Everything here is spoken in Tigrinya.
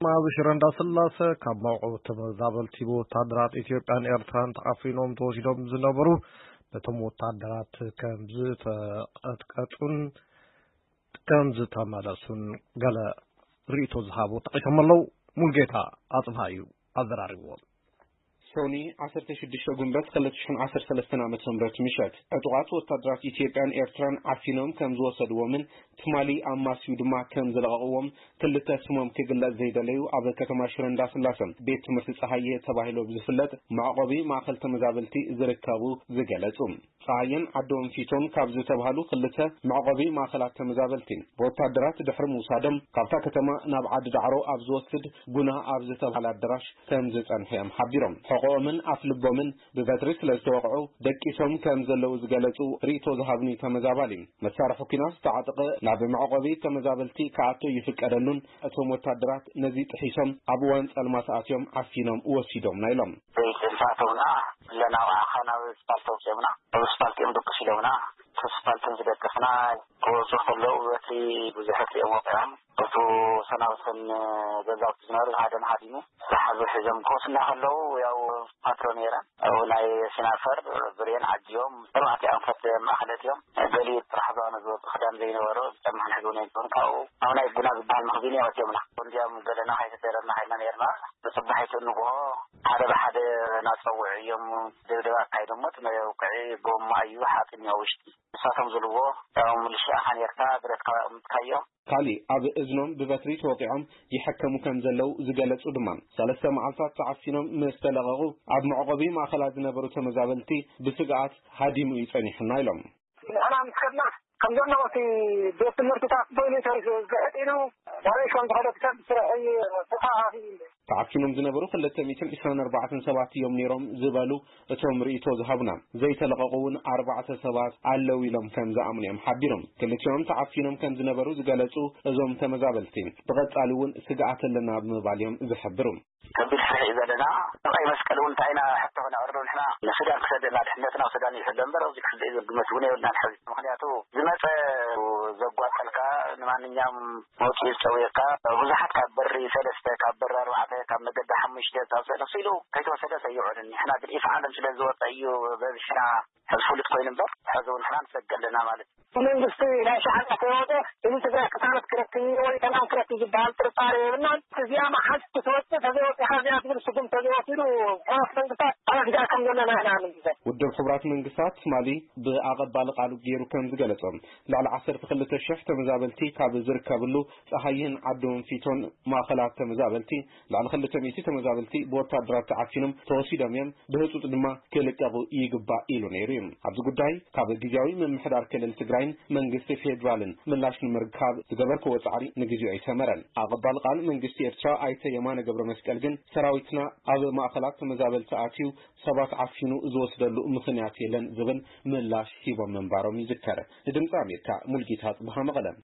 ኣብ ሽረ እንዳስላሰ ካብ መውዕው ተመዛበልቲ ብወታደራት ኢትዮጵያን ኤርትራን ተዓፊኖም ተወሲዶም ዝነበሩ፣ ነቶም ወታደራት ከም ዝተቐጥቀጡን ከም ዝተመለሱን ገለ ርእይቶ ዝሃቡ ጠቒሶም ኣለዉ። ሙልጌታ ኣጽብሃ እዩ ኣዘራሪብዎም። ሶኒ ዓሰርተ ሽዱሽተ ጉንበት ክልተ ሽሕን ዓሰርተ ሰለስተን ዓመተ ምህረት ምሸት፣ ዕጡቓት ወታደራት ኢትዮጵያን ኤርትራን ዓፊኖም ከም ዝወሰድዎምን ትማሊ ኣማስዩ ድማ ከም ዝለቐቕዎም ክልተ ስሞም ክግለጽ ዘይደለዩ ኣብ ከተማ ሽረ እንዳስላሰ ቤት ትምህርቲ ጸሃየ ተባሂሉ ብዝፍለጥ መዕቆቢ ማእከል ተመዛበልቲ ዝርከቡ ዝገለጹ። ጸሃየን ዓዲ ወንፊቶን ካብ ዝተባህሉ ክልተ መዕቆቢ ማእከላት ተመዛበልቲ ብወታደራት ድሕሪ ምውሳዶም ካብታ ከተማ ናብ ዓዲ ዳዕሮ ኣብ ዝወስድ ጉና ኣብ ዝተባህለ ኣዳራሽ ከም ዝጸንሑ እዮም ሓቢሮም። ሕቖኦምን ኣፍልቦምን ብበትሪ ስለ ዝተወቕዑ ደቂሶም ከም ዘለዉ ዝገለጹ ርእይቶ ዝሃብኒ ተመዛባሊ፣ መሳርሒ ኲናት ዝተዓጠቐ ናብ መዕቆቢ ተመዛበልቲ ክኣቱ ይፍቀደሉን እቶም ወታደራት ነዚ ጥሒሶም ኣብ እዋን ጸልማት ኣትዮም ዓፊኖም ወሲዶምና ኢሎም። ዘይጥንሳተውና ኣለና። ብኣኻ ናብ ስፓልት ኣውፅኦምና፣ ኣብ ስፓልት እዮም ደቅስ ኢሎምና። እቲ ስፓልት ዝደቅስና ክወፁ ከለዉ በቲ ብዙሕ እዮም ወቂዖም። እቱ ሰናብትን ገዛውቲ ዝነበሩ ሃደም ሃዲሙ ዝሓዙ ሒዞም ክወስና ከለዉ ያው ፓትሮ ነይረን። ኣብኡ ናይ ሲናፈር ብሬን ዓጅቦም ኣርባዕተ ኣንፈት ማእኸለት እዮም። ገሊኡ ጥራሕ ዝባኑ ዝወፁ ክዳን ዘይነበሮ ዝጨማሕን ሕዝቡ ነይሩ ካብኡ ኣብ ናይ ጉና ዝበሃል መኽዚን እዮም ኣትዮምና። እንዲያም ገለና ከይተደረና ኸይና ነይርና። ብፅባሒቱ ንግሆ ሓደ ብሓደ እናፀውዑ እዮም ደብደብ ኣካይዶሞ። እቲ መውቅዒ ጎማ እዩ፣ ሓፂን እዩ ኣብ ውሽጢ። ንሳቶም ዝብልዎ ያው ምልሻ ኢኻ ነርካ፣ ብረትካ ኣቐምጥካዮ። ካሊእ ኣብ እዝኖም ብበትሪ ተወቒዖም ይሕከሙ ከም ዘለዉ ዝገለጹ ድማ፣ ሰለስተ መዓልታት ተዓፊኖም ምስ ተለቐቑ ኣብ መዕቆቢ ማእከላት ዝነበሩ ተመዛበልቲ ብስግኣት ሃዲሙ እዩ ጸኒሑና ኢሎም። ንሕና ምስ ከድና ከም ዘለዉ እቲ ቤት ትምህርትታት በይኑ ተሪፉ፣ ዝሕጥ ኢሉ ናበይ ከም ዝኸደ ሰብ ስራሕ እዩ ተኸፋፊሉ። ተዓፊኖም ዝነበሩ ክልተ ሚእትን ዕስራን ኣርባዕተን ሰባት እዮም ነይሮም ዝበሉ እቶም ርእይቶ ዝሃቡና፣ ዘይተለቐቑ እውን ኣርባዕተ ሰባት ኣለዉ ኢሎም ከም ዝኣምኑ እዮም ሓቢሮም። ክልቲኦም ተዓፊኖም ከም ዝነበሩ ዝገለጹ እዞም ተመዛበልቲ፣ ብቐጻሊ እውን ስግኣት ኣለና ብምባል እዮም ዝሕብሩ። ከቢድ ፍርሒ እዩ ዘለና። ሰብኣይ መስቀል እውን እንታይ ኢና ሕቶ ክነቕርብ ንሕና ንሱዳን ክሰደና ድሕነትና ኣብ ሱዳን ይሕሎ እምበር ኣብዚ ክሕሎ እዩ ዝብል ግምት እውን የብልናን ሕዚ። ምኽንያቱ ዝመጸ ዘጓጠልካ ንማንኛውም መውጽኢ ዝጸውየካ ብዙሓት ካብ በሪ ሰለስተ፣ ካብ በሪ ኣርባዕተ፣ ካብ መገዲ ሓሙሽተ፣ ካብ ሰለስተ ኢሉ ከይተወሰደ ሰይዑን። ንሕና ግን ኢፍ ዓለም ስለ ዝወጸ እዩ በብሽና ሕዚ ፍሉጥ ኮይኑ እምበር ሕዚ እውን ንሕና ንሰግእ ኣለና ማለት እዩ። መንግስቲ ናይ ሻዕብያ ከይወጸ እዚ ትግራይ ቅሳነት ክረክብ እዩ ወይ ሰላም ክረክብ ዝበሃል ጥርጣሬ የብልናን። እዚኣ መሓዝ ክትወጽእ ተዘይወጺኻ እዚኣ ዝብል ስጉም ተዘይወሲዱ ሕዋት መንግስታት ኣብ ኣፍጋር ከም ዘለና ኢና ንምዘ ውድብ ሕቡራት መንግስታት ትማሊ ብኣቐባሊ ቃሉ ገይሩ ከም ዝገለጾ፣ ልዕሊ ዓሰርተ ክልተ ሽሕ ተመዛበልቲ ካብ ዝርከብሉ ጸሃይን ዓዲ ወንፊቶን ማእኸላት ተመዛበልቲ ልዕሊ ክልተ ሚእቲ ተመዛበልቲ ብወታደራት ተዓፊኖም ተወሲዶም እዮም፣ ብህጹጽ ድማ ክልቀቑ ይግባእ ኢሉ ነይሩ እዩ። ኣብዚ ጉዳይ ካብ ግዝያዊ ምምሕዳር ክልል ትግራይን መንግስቲ ፌዴራልን ምላሽ ንምርካብ ዝገበርክዎ ጻዕሪ ንግዜኡ ኣይሰመረን። ኣቐባሊ ቃል መንግስቲ ኤርትራ ኣይተ የማነ ገብረ መስቀል ግን ሰራዊትና ኣብ ማእኸላት ተመዛበልቲ ኣትዩ ሰባት ዓፊኑ ዝወስደሉ ምኽንያት የለን ዝብል ምላሽ ሂቦም ምንባሮም ይዝከር። ንድምፂ ኣሜሪካ ሙልጌታ ጽብሃ መቐለ።